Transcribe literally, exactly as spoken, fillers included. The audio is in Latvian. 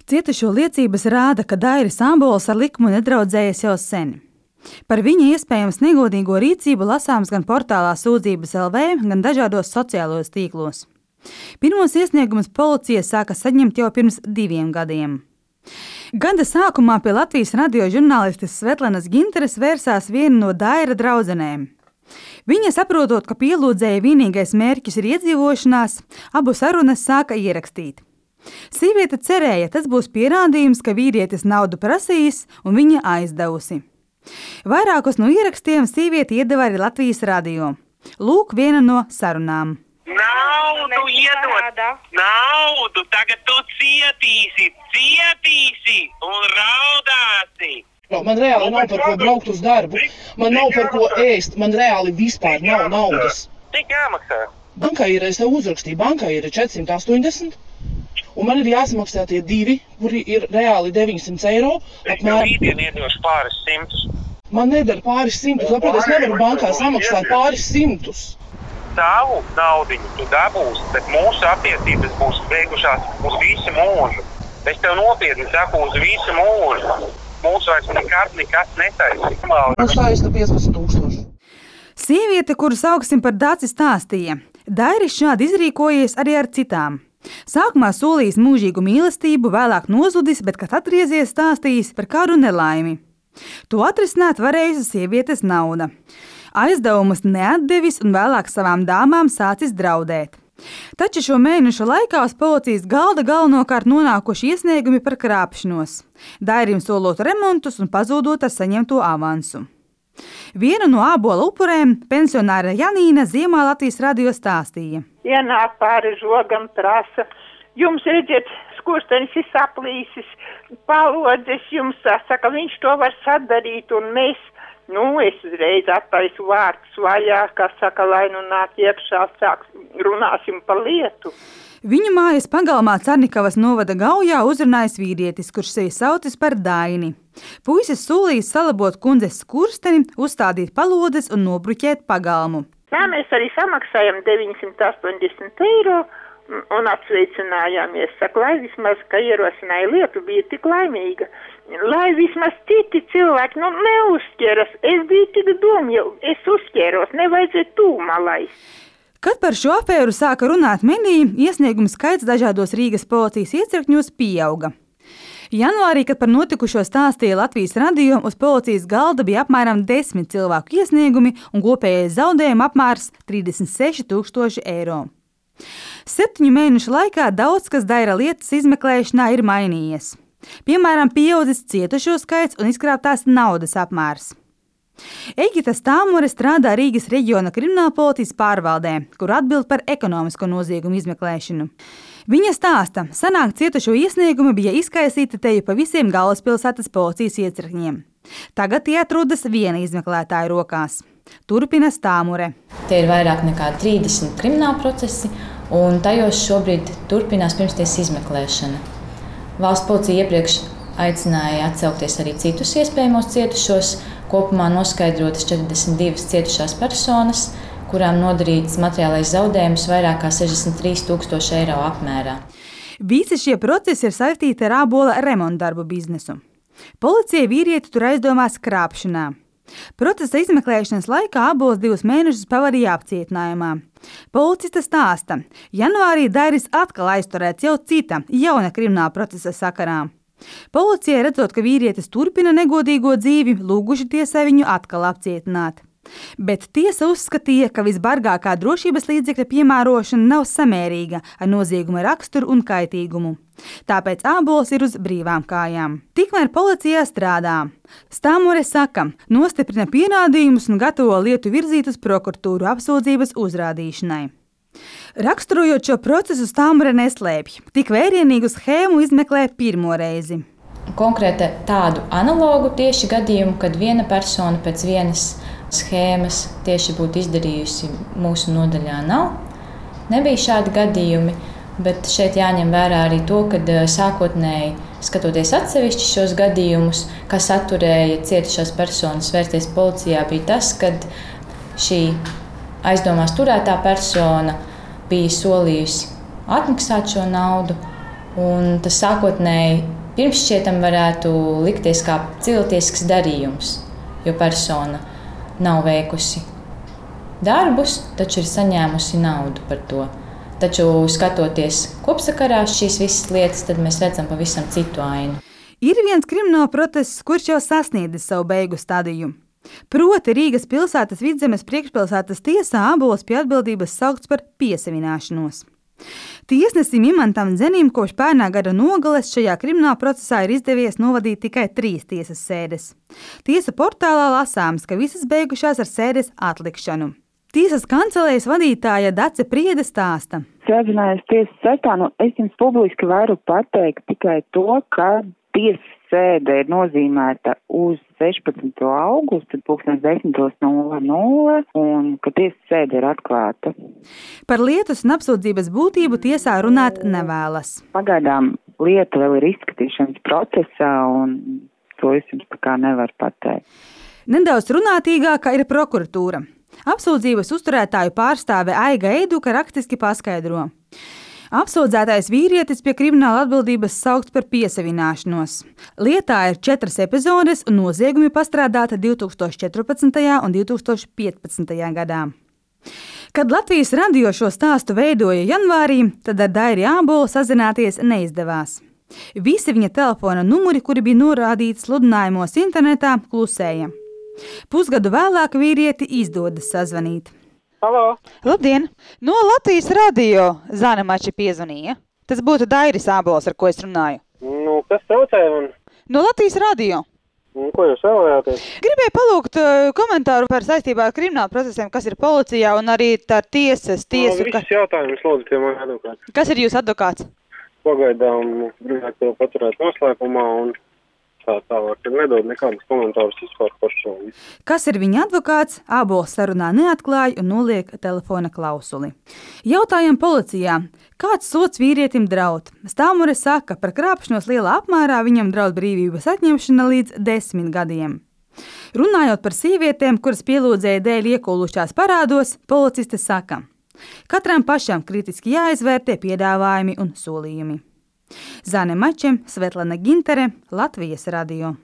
Cietušo liecības rāda, ka Dairis Ābols ar likumu nedraudzējies jau sen. Par viņa iespējams negodīgo rīcību lasāms gan portālā Sūdzības L V, gan dažādos sociālos tīklos. Pirmos iesniegumus policija sāka saņemt jau pirms diviem gadiem. Gada sākumā pie Latvijas radio žurnālistes Svetlanas Ginteres vērsās viena no Daira draudzenēm. Viņa, saprotot, ka pielūdzēja vienīgais mērķis ir iedzīvošanās, abu sarunas sāka ierakstīt. Sīviete cerēja, tas būs pierādījums, ka vīrietis naudu prasījis un viņa aizdevusi. Vairākus no ierakstiem sīviete iedeva arī Latvijas radio. Lūk, viena no sarunām. Naudu iedod, naudu, tagad tu cietīsi, cietīsi un raudāsi. Man reāli nav par ko braukt uz darbu, man nav par ko ēst, man reāli vispār nav naudas. Cik jāmaksā? Bankā ir, es tev uzrakstīju, bankā ir četri astoņdesmit, un man ir jāsamaksā tie divi, kuri ir reāli deviņsimt eiro. Apmēram. Rītdien iedošu pāris simtus. Man nedara pāris simtus, labprāt, es nevaru bankā samaksāt pāris simtus. Tavu naudiņu tu dabūsi, bet mūsu attiecības būs beigušās uz visu mūžu. Es tev nopietni saku, uz visu mūžu. Mūsu vairs nekad nekas netaisīs. Man saista piecpadsmit tūkstoši. Sieviete, kuru sauksim par Daci, stāstīja, Dairis šādi izrīkojies arī ar citām. Sākumā solījis mūžīgu mīlestību, vēlāk nozudis, bet, kad atgriezies, stāstījis par kādu nelaimi. To atrisināt varējusi sievietes nauda. Aizdevumus neatdevis un vēlāk savām dāmām sācis draudēt. Taču šo mēnešu laikā uz policijas galda galvenokārt nonākuši iesniegumi par krāpšanos, Dairim solot remontus un pazūdot ar saņemto avansu. Viena no Ābola upurēm, pensionāra Janīna, Ziemā Latvijas radio stāstīja. Ienāk pāri žogam prasa, jums redziet, skurstenis ir saplīsis, palodzes jums saka, viņš to var sadarīt, un mēs, nu, es uzreiz attaisu vārtus vaļā, kā saka, lai nu nāk iekšā, sāk, runāsim par lietu. Viņu mājas pagalmā Carnikavas novada Gaujā uzrunājis vīrietis, kurš sevi saucis par Daini. Puisis solījis salabot kundzes skursteni, uzstādīt palodes un nobruķēt pagalmu. Tā mēs arī samaksājam deviņsimt astoņdesmit eiro un apsveicinājāmies. Saku, lai vismaz, ka ierosināja lietu, bija tik laimīga. Lai vismaz citi cilvēki, nu, neuzķeras. Es biju tik domju, es uzķēros, nevajadzēja tūmā laist. Kad par šo afēru sāka runāt mediji, iesniegumu skaits dažādos Rīgas policijas iecirkņos pieauga. Janvārī, kad par notikušo stāstīja Latvijas radio, uz policijas galda bija apmēram desmit cilvēku iesniegumi un kopējais zaudējuma apmērs trīsdesmit seši tūkstoši eiro. Septiņu mēnešu laikā daudz kas Daira lietas izmeklēšanā ir mainījies. Piemēram, pieaudzis cietušo skaits un izkrāptās naudas apmērs. Egita Stāmure strādā Rīgas reģiona kriminālpolicijas pārvaldē, kur atbild par ekonomisko noziegumu izmeklēšanu. Viņa stāsta, sanāk cietušo iesniegumi bija izkaisīti teju pa visiem galvaspilsētas policijas iecirkņiem. Tagad tie atrodas viena izmeklētāja rokās. Turpina Stāmure. Tie ir vairāk nekā trīsdesmit krimināla procesi, un tajos šobrīd turpinās pirmstiesas izmeklēšana. Valsts policija iepriekš aicināja atsaukties arī citus iespējamos cietušos, kopumā noskaidrotas četrdesmit divas cietušās personas, kurām nodarīts materiālais zaudējums vairāk kā sešdesmit trīs tūkstoši eiro apmērā. Visi šie procesi ir saistīti ar Ābola remontdarbu biznesu. Policija vīrieti tur aizdomās krāpšanā. Procesa izmeklēšanas laikā Ābols divus mēnešus pavadīja apcietinājumā. Policista stāsta, janvārī Dairis atkal aizturēts jau cita, jauna krimināla procesa sakarā. Policija, redzot, ka vīrietis turpina negodīgo dzīvi, lūguši tiesai viņu atkal apcietināt. Bet tiesa uzskatīja, ka visbargākā drošības līdzekļa piemērošana nav samērīga ar nozieguma raksturu un kaitīgumu. Tāpēc Ābols ir uz brīvām kājām. Tikmēr policijā strādā. Stāmure saka, nostiprina pierādījumus un gatavo lietu virzīt uz prokuratūru apsūdzības uzrādīšanai. Raksturojot šo procesu, Stāmure neslēpj. Tik vērienīgu schēmu izmeklē pirmo reizi. Konkrēti tādu analogu tieši gadījumu, kad viena persona pēc vienas schēmas tieši būtu izdarījusi mūsu nodaļā nav. Nebija šādi gadījumi, bet šeit jāņem vērā arī to, ka sākotnēji, skatoties atsevišķi šos gadījumus, kas atturēja cietušās personas vērsties policijā, bija tas, kad šī aizdomās turētā persona bija solījusi atmaksāt šo naudu, un tas sākotnēji pirmšķietam varētu likties kā cilvēcisks darījums, jo persona nav veikusi darbus, taču ir saņēmusi naudu par to. Taču, skatoties kopsakarā šīs visas lietas, tad mēs redzam pavisam citu ainu. Ir viens krimināla process, kurš jau sasniedzis savu beigu stadiju. Proti Rīgas pilsētas Vidzemes priekšpilsētas tiesā Ābols pie atbildības saukts par piesavināšanos. Tiesnesim Imantam Dzenim kopš pērnā gada nogales šajā krimināla procesā ir izdevies novadīt tikai trīs tiesas sēdes. Tiesa portālā lasāms, ka visas beigušās ar sēdes atlikšanu. Tiesas kancelējas vadītāja Dace Priede stāsta. Sēdzinājās tiesas saistā, nu es jums publiski varu pateikt tikai to, ka tiesas sēde ir nozīmēta uz sešpadsmito augustu, pulkstens desmit nulle nulle, un ka tiesas sēde ir atklāta. Par lietas un apsūdzības būtību tiesā runāt nevēlas. Pagaidām lieta vēl ir izskatīšanas procesā, un to es jums tā kā nevaru pateikt. Nedaudz runātīgākā ir prokuratūra. Apsūdzības uzturētāju pārstāve Aiga Eiduka rakstiski paskaidro. Apsūdzētais vīrietis pie krimināla atbildības saukts par piesavināšanos. Lietā ir četras epizodes un noziegumi pastrādāti divi tūkstoši četrpadsmitajā un divi tūkstoši piecpadsmitajā gadā. Kad Latvijas radio šo stāstu veidoja janvārī, tad ar Dairi Ābolu sazināties neizdevās. Visi viņa telefona numuri, kuri bija norādīti sludinājumos internetā, klusēja. Pusgadu vēlāk vīrieti izdodas sazvanīt. Halo! Labdien! No Latvijas radio Zana Mači piezvanīja. Tas būtu Dairis Ābols, ar ko es runāju. Nu, kas traucēja man? No Latvijas radio. Nu, ko jūs vēlējāties? Gribēju palūgt uh, komentāru par saistībā ar kriminālu procesiem, kas ir policijā un arī ar tiesas tiesu. No, visus jautājumus lūdzu pie mani advokāts. Kas ir jūs advokāts? Pagaidām gribētu to paturēt noslēpumā un tā tālāk, kad nedod nekādus komentārus vispār par šo. Kas ir viņa advokāts, Ābols sarunā neatklāja un noliek telefona klausuli. Jautājam policijā, kāds sots vīrietim draud? Stāmure saka, par krāpšanos lielā apmērā viņam draud brīvības atņemšana līdz desmit gadiem. Runājot par sievietēm, kuras pielūdzēja dēļ iekūlušās parādos, policiste saka, katram pašam kritiski jāizvērtē piedāvājumi un solījumi. Zane Mače, Svetlana Gintere, Latvijas radio.